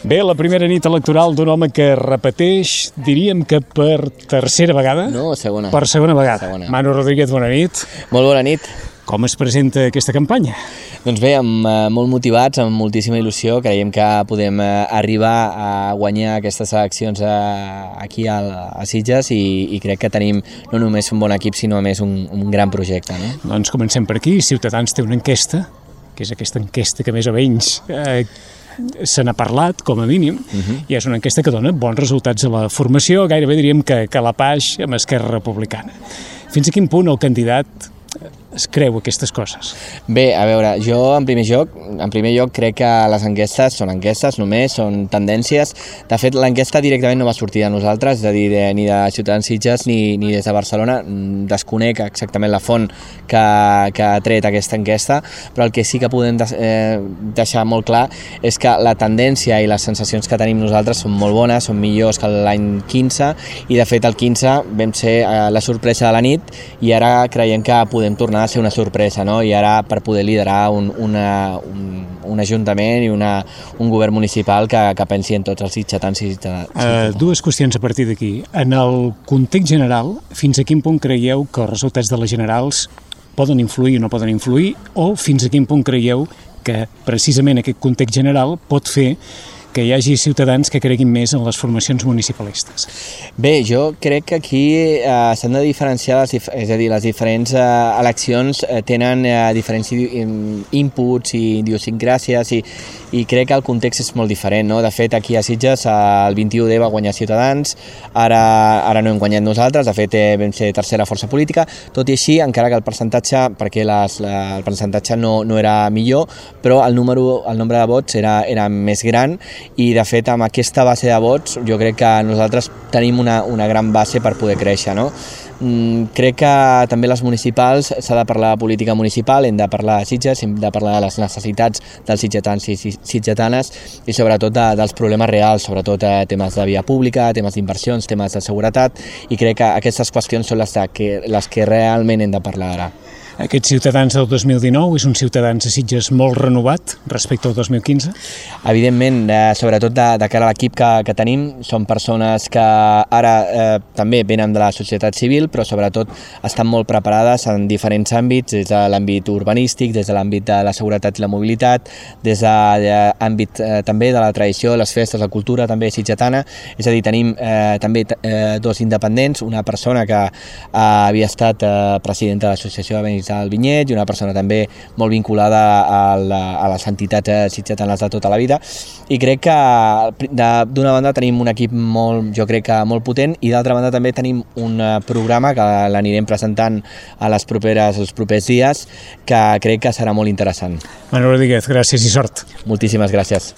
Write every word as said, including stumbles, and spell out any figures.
Bé, la primera nit electoral d'un home que repeteix, diríem que per tercera vegada? No, segona. Per segona vegada. Segona. Manu Rodríguez, bona nit. Molt bona nit. Com es presenta aquesta campanya? Doncs bé, amb, eh, molt motivats, amb moltíssima il·lusió, creiem que podem eh, arribar a guanyar aquestes eleccions eh, aquí a, a Sitges i, i crec que tenim no només un bon equip, sinó a més un, un gran projecte. No? Doncs comencem per aquí. Ciutadans té una enquesta, que és aquesta enquesta que més o menys eh, se n'ha parlat, com a mínim, uh-huh. i és una enquesta que dona bons resultats a la formació, gairebé diríem que, que a la Paix amb Esquerra Republicana. Fins a quin punt el candidat es creu aquestes coses? Bé, a veure, jo en primer lloc, en primer lloc crec que les enquestes són enquestes només, són tendències. De fet, l'enquesta directament no va sortir de nosaltres, és a dir, de, ni de Ciutadans Sitges ni, ni des de Barcelona. Desconec exactament la font que, que ha tret aquesta enquesta, però el que sí que podem de, eh, deixar molt clar és que la tendència i les sensacions que tenim nosaltres són molt bones, són millors que l'any quinze, i de fet el quinze vam ser eh, la sorpresa de la nit i ara creiem que podem tornar a ser una sorpresa, no? I ara per poder liderar un, una, un, un ajuntament i una, un govern municipal que, que pensi en tots els sitgetans i sitgetans. Uh, dues qüestions a partir d'aquí. En el context general, fins a quin punt creieu que els resultats de les generals poden influir o no poden influir, o fins a quin punt creieu que precisament aquest context general pot fer que hi hagi ciutadans que creguin més en les formacions municipalistes? Bé, jo crec que aquí eh, s'han de diferenciar, les dif és a dir, les diferents eh, eleccions eh, tenen eh, diferents inputs i idiosincràsies i, i crec que el context és molt diferent, no? De fet, aquí a Sitges el vint-i-u de va guanyar Ciutadans, ara, ara no hem guanyat nosaltres, de fet eh, vam ser tercera força política, tot i així, encara que el percentatge, perquè les, la, el percentatge no, no era millor, però el, número, el nombre de vots era, era més gran, i de fet amb aquesta base de vots jo crec que nosaltres tenim una, una gran base per poder créixer, no? Mm, crec que també les municipals s'ha de parlar de política municipal, hem de parlar de Sitges, hem de parlar de les necessitats dels sitgetans i sitgetanes i sobretot de, dels problemes reals, sobretot eh, temes de via pública, temes d'inversions, temes de seguretat, i crec que aquestes qüestions són les que, les que realment hem de parlar ara. Aquests Ciutadans del dos mil dinou és un Ciutadans a Sitges molt renovat respecte al dos mil quinze? Evidentment, eh, sobretot de, de cara a l'equip que, que tenim, són persones que ara eh, també venen de la societat civil, però sobretot estan molt preparades en diferents àmbits, des de l'àmbit urbanístic, des de l'àmbit de la seguretat i la mobilitat, des de l'àmbit eh, també de la tradició, les festes, la cultura també sitgetana, és a dir, tenim eh, també eh, dos independents, una persona que eh, havia estat eh, presidenta de l'Associació de Veïns del Vinyet i una persona també molt vinculada a, la, a les entitats sitgetanes de tota la vida, i crec que d'una banda tenim un equip molt, jo crec que molt potent, i d'altra banda també tenim un programa que l'anirem presentant a les properes, els propers dies, que crec que serà molt interessant. Manu Rodríguez, gràcies i sort. Moltíssimes gràcies.